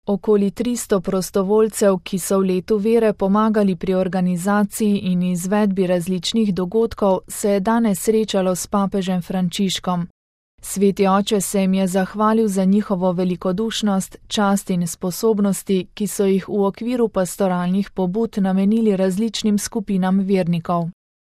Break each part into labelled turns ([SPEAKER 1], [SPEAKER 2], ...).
[SPEAKER 1] Okoli 300 prostovoljcev, ki so v letu vere pomagali pri organizaciji in izvedbi različnih dogodkov, se je danes srečalo s papežem Frančiškom. Sveti oče se jim je zahvalil za njihovo velikodušnost, čast in sposobnosti, ki so jih v okviru pastoralnih pobud namenili različnim skupinam vernikov.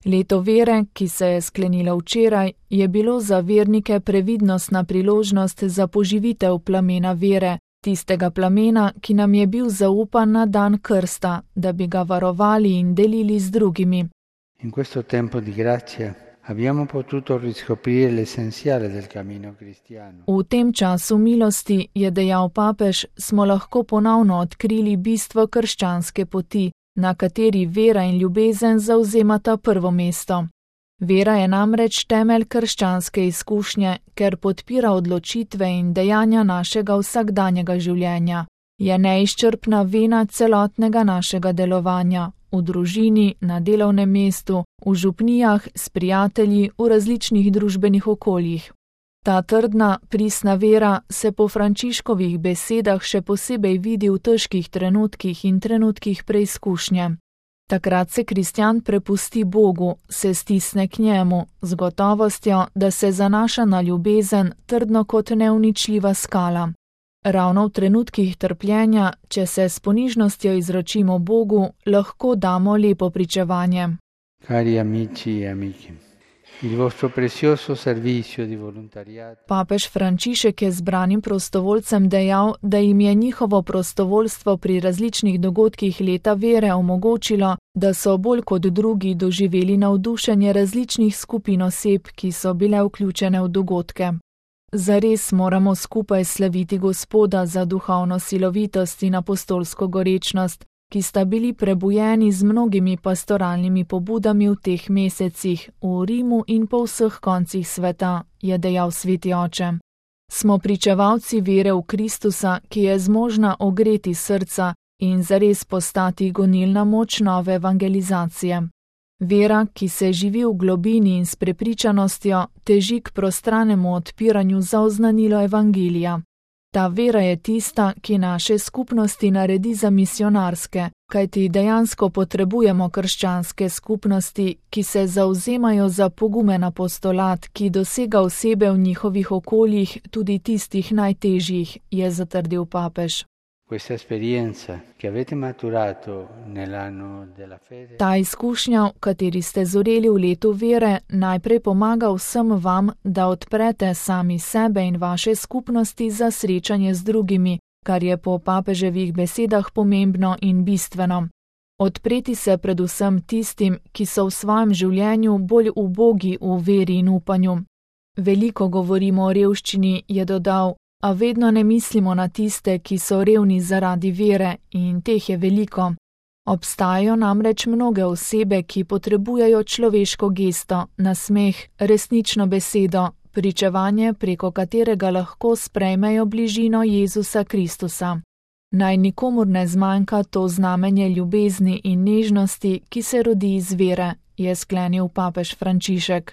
[SPEAKER 1] Leto vere, ki se je sklenilo včeraj, je bilo za vernike previdnostna priložnost za poživitev plamena vere, tistega plamena, ki nam je bil zaupan na dan krsta, da bi ga varovali in delili z drugimi.
[SPEAKER 2] In questo tempo di grazia abbiamo potuto riscoprire l'essenziale del cammino cristiano.
[SPEAKER 1] V tem času milosti, je dejal papež, smo lahko ponovno odkrili bistvo krščanske poti, na kateri vera in ljubezen zavzemata prvo mesto. Vera je namreč temelj krščanske izkušnje, ker podpira odločitve in dejanja našega vsakdanjega življenja. Je neizčrpna vena celotnega našega delovanja, v družini, na delovnem mestu, v župnijah, s prijatelji, v različnih družbenih okoljih. Ta trdna, pristna vera se po Frančiškovih besedah še posebej vidi v težkih trenutkih in trenutkih preizkušnje. Takrat se kristjan prepusti Bogu, se stisne k njemu, z gotovostjo, da se zanaša na ljubezen trdno kot neuničljiva skala. Ravno v trenutkih trpljenja, če se s ponižnostjo izročimo Bogu, lahko damo lepo pričevanje.
[SPEAKER 2] Cari amici e amiche, il vostro prezioso servizio di volontariato.
[SPEAKER 1] Papež Frančišek je zbranim prostovoljcem dejal, da jim je njihovo prostovoljstvo pri različnih dogodkih leta vere omogočilo, da so bolj kot drugi doživeli navdušenje različnih skupin oseb, ki so bile vključene v dogodke. Zares moramo skupaj slaviti Gospoda za duhovno silovitost in apostolsko gorečnost, ki sta bili prebujeni z mnogimi pastoralnimi pobudami v teh mesecih, v Rimu in po vseh koncih sveta, je dejal sveti oče. Smo pričevalci vere v Kristusa, ki je zmožna ogreti srca in zares postati gonilna moč nove evangelizacije. Vera, ki se živi v globini in s prepričanostjo, teži k prostranemu odpiranju za oznanilo evangelija. Ta vera je tista, ki naše skupnosti naredi za misionarske, kajti dejansko potrebujemo krščanske skupnosti, ki se zavzemajo za pogumen apostolat, ki dosega osebe v njihovih okoljih, tudi tistih najtežjih, je zatrdil papež.
[SPEAKER 2] Questa esperienza che avete maturato nell'anno della fede.
[SPEAKER 1] Ta izkušnja, v kateri ste zoreli v letu vere, najprej pomaga vsem vam, da odprete sami sebe in vaše skupnosti za srečanje z drugimi, kar je po papeževih besedah pomembno in bistveno. Odpreti se predvsem tistim, ki so v svojem življenju bolj ubogi v veri in upanju. Veliko govorimo o revščini, je dodal, a vedno ne mislimo na tiste, ki so revni zaradi vere, in teh je veliko. Obstajajo namreč mnoge osebe, ki potrebujejo človeško gesto, nasmeh, resnično besedo, pričevanje, preko katerega lahko sprejmejo bližino Jezusa Kristusa. Naj nikomur ne zmanjka to znamenje ljubezni in nežnosti, ki se rodi iz vere, je sklenil papež Frančišek.